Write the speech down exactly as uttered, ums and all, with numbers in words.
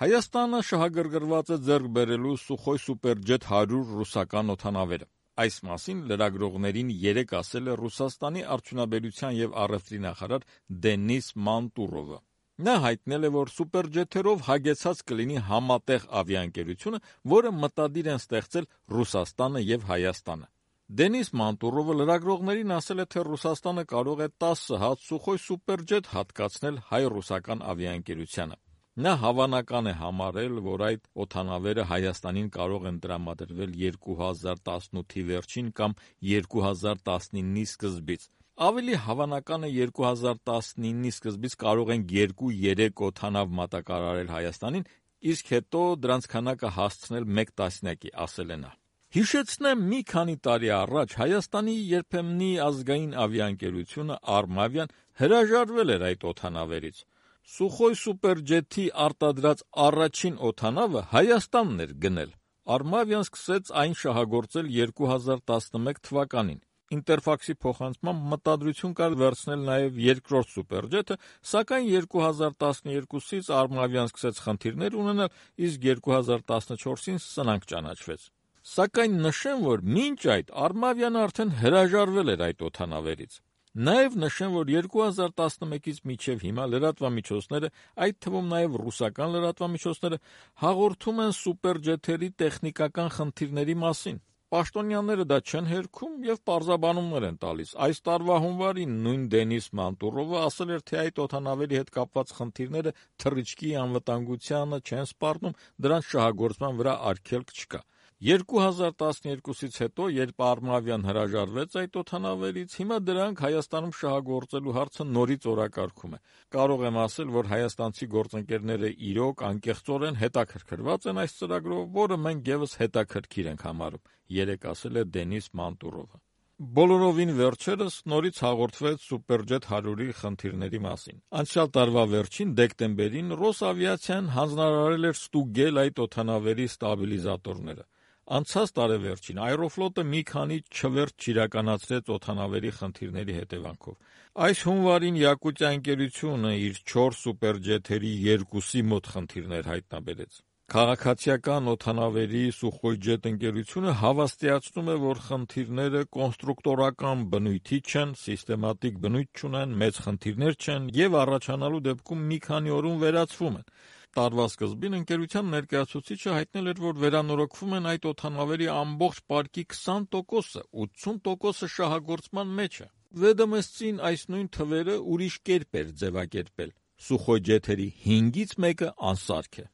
Հայաստանը շահագրգռված է ձեռք բերելու Սուխոյ Սուպերջեթ հարյուր ռուսական օդանավերը։ Այս մասին լրագրողներին երեկ ասել է Ռուսաստանի արդյունաբերության եւ առևտրի նախարար Դենիս Մանտուրովը։ Նա հայտնել է, որ սուպերջեթերով հագեցած կլինի համատեղ ավիաընկերությունը, որը մտադիր են ստեղծել Ռուսաստանը եւ Հայաստանը։ Դենիս Մանտուրովը լրագրողներին ասել է, թե Ռուսաստանը կարող է տասը հատ Սուխոյ Սուպերջեթ հատկացնել հայ-ռուսական ավիաընկերությանը։ Նա հավանական է համարել, որ այդ օդանավերը Հայաստանին կարող են տրամադրվել երկու հազար տասնութի վերջին կամ երկու հազար տասնինի սկզբից։ Ավելի հավանական է երկու հազար տասնինի սկզբից կարող են երկու-երեք օդանավ մատակարարել Հայաստանին, իսկ հետո դրանց քանակը հասցնել մեկ տասնյակի, ասել է նա։ Հիշեցնեմ, մի քանի տարի առաջ Հայաստանի երբեմնի ազգային ավիաընկերությունը Արմավիան հրաժարվել էր այդ օդանավերից։ Սուխոյ Սուպերջեթի արտադրած առաջին օդանավը Հայաստանն էր գնել։ Արմավիան սկսեց այն շահագործել երկու հազար տասնմեկ թվականին։ Ինտերֆաքսի փոխանցմամբ մտադրություն կար վերցնել նաև երկրորդ Սուպերջեթը, սակայն երկու հազար տասնյոթից Արմավիան սկսեց խնդիրներ ունենալ, իսկ երկու հազար տասնչորսին սնանք ճանաչվեց։ Սակայն նշեմ, որ մինչ այդ Արմավիան արդեն հրաժարվել էր այդ օդանավերից։ Նաև նշեմ, որ երկու հազար տասնմեկից մինչև հիմա լրատվամիջոցները, այդ թվում նաև ռուսական լրատվամիջոցները, հաղորդում են սուպերջեթերի տեխնիկական խնդիրների մասին։ Պաշտոնյաները դա չեն հերքում եւ պարզաբանումներ են տալիս։ Այս տարվա հունվարին նույն Դենիս Մանտուրովը ասել էր, թե այդ օդանավերի հետ կապված խնդիրները թռիչքի անվտանգությանը չեն սպառնում, դրանց շահագործման վրա արգելք չկա։ երկու հազար տասնյոթից հետո, երբ Արմավիան հրաժարվեց այդ օդանավերից, հիմա դրանք Հայաստանում շահագործելու հարցը նորից օրակարգում է։ Կարող եմ ասել, որ հայաստանցի գործընկերները իրոք անկեղծորեն հետաքրքրված են այս ծրագրով, որը մենք եւս հետաքրքիր ենք համարում, երեկ ասել է Դենիս Մանտուրովը։ Բոլորովին վերջերս նորից հաղորդվեց Սուպերջեթ հարյուրի խնդիրների մասին։ Անցյալ տարվա վերջին դեկտեմբերին Ռոսավիացիան հանձնարարել էր ստուգել այդ օդանավերի ստաբիլիզատորները։ Անցած տարեվերջին Aeroflot-ը մի քանի չվերթ չիրականացրեց օդանավերի խնդիրների հետևանքով։ Այս հունվարին Յակուտիա ընկերությունը իր չորս սուպերջեթերի երկուսի մոտ խնդիրներ հայտնաբերեց։ Քաղաքացիական օդանավերի Սուխոյջեթ ընկերությունը հավաստիացնում է, որ խնդիրները կոնստրուկտորական բնույթի չեն, սիստեմատիկ բնույթ չունեն, մեծ խնդիրներ չեն եւ առաջանալու դեպքում մի քանի օրում վերացվում են։ Տարվա սկզբին ընկերության ներկայացուցիչը հայտնել էր, որ վերանորոգվում են այդ օդանավերի ամբողջ պարկի քսան տոկոսը, ութսուն տոկոսը շահագործման մեջ է։ Վեդոմստին այս նույն թվերը ուրիշ կերպ էր ձևակերպել։ Սուխոյջեթերի հինգից մեկը անսարք է։